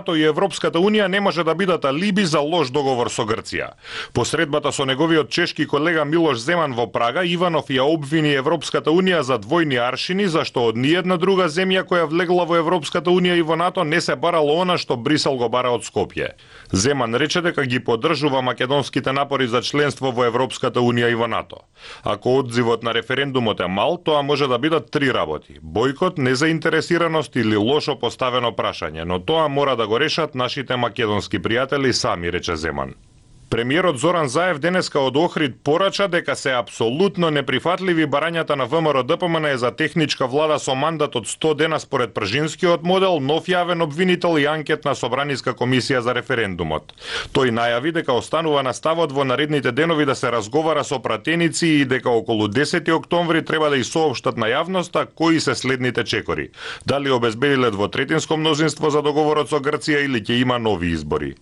и Европската Унија не може да бидат алиби за лош договор со Грција. Посредбата со неговиот чешки колега Милош Земан во Прага, Иванов ја обвини Европската Унија за двојни аршини, зашто од ниедна друга земја која влегла во Европската Унија и во НАТО не се барало она што Брисел го бара од Скопје. Земан рече дека ги поддржува македонските напори за членство во Европската Унија и во НАТО. Ако одзивот на референдумот е мал, тоа може да бидат три работи: бојкот, незаинтересираност или лошо поставено прашање, но тоа мора да го решат нашите македонски пријатели сами, рече Земан. Премиерот Зоран Заев денеска од Охрид порача дека се апсолутно неприфатливи барањата на ВМРО-ДПМН за техничка влада со мандат од 100 дена според пржинскиот модел, нов јавен обвинител и анкетна собраниска комисија за референдумот. Тој најави дека останува на ставот во наредните денови да се разговара со пратеници и дека околу 10 октомври треба да и соопштат на јавноста кои се следните чекори. Дали обезбедиле двотретинско мнозинство за договорот со Грција или ќе има нови избори.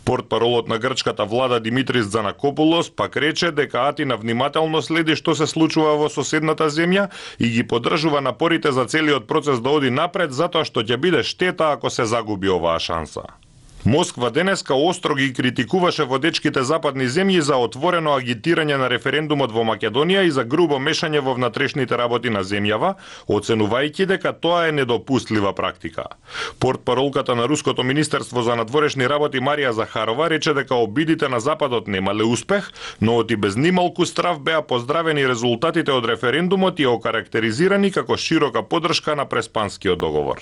Портпаролот на грчката влада Димитрис Занакопулос пак рече дека Атина внимателно следи што се случува во соседната земја и ги поддржува напорите за целиот процес да оди напред, затоа што ќе биде штета ако се загуби оваа шанса. Москва денеска остро ги критикуваше водечките западни земји за отворено агитирање на референдумот во Македонија и за грубо мешање во внатрешните работи на земјава, оценувајќи дека тоа е недопустлива практика. Портпаролката на Руското министерство за надворешни работи Марија Захарова рече дека обидите на Западот немале успех, но оти без нималку страв беа поздравени резултатите од референдумот и окарактеризирани како широка поддршка на преспанскиот договор.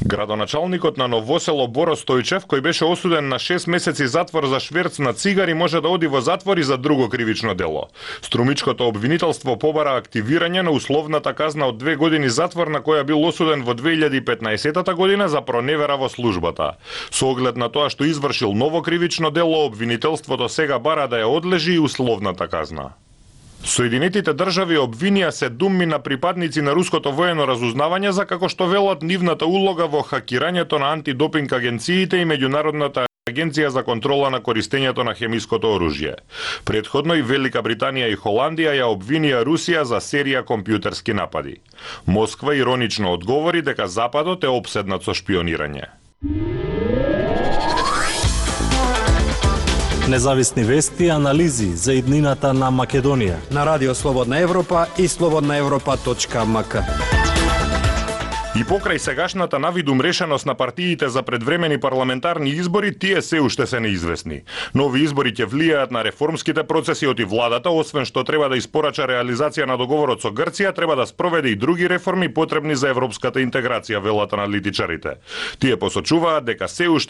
Градоначалникот на Новосело Боро Стојчев, кој беше осуден на 6 месеци затвор за шверц на цигари, може да оди во затвор и за друго кривично дело. Струмичкото обвинителство побара активирање на условната казна од 2 години затвор на која бил осуден во 2015 година за проневера во службата. Со оглед на тоа што извршил ново кривично дело, обвинителството сега бара да ја одлежи и условната казна. Соединетите држави обвинија 7 на припадници на руското воено разузнавање за како што велат нивната улога во хакирањето на антидопинг агенциите и меѓународната агенција за контрола на користењето на хемиското оружје. Претходно и Велика Британија и Холандија ја обвинија Русија за серија компјутерски напади. Москва иронично одговори дека Западот е опседнат со шпионирање. Независни вести и анализи за иднината на Македонија на Радио Слободна Европа и slobodnaevropa.mk. И покрај сегашната навидум решеност на партиите за предвремени парламентарни избори, тие се уште се неизвестни. Нови избори ќе влијаат на реформските процеси од владата, освен што треба да испорача реализација на договорот со Грција, треба да спроведе и други реформи потребни за европската интеграција, велат аналитичарите. Тие посочуваат дека се уште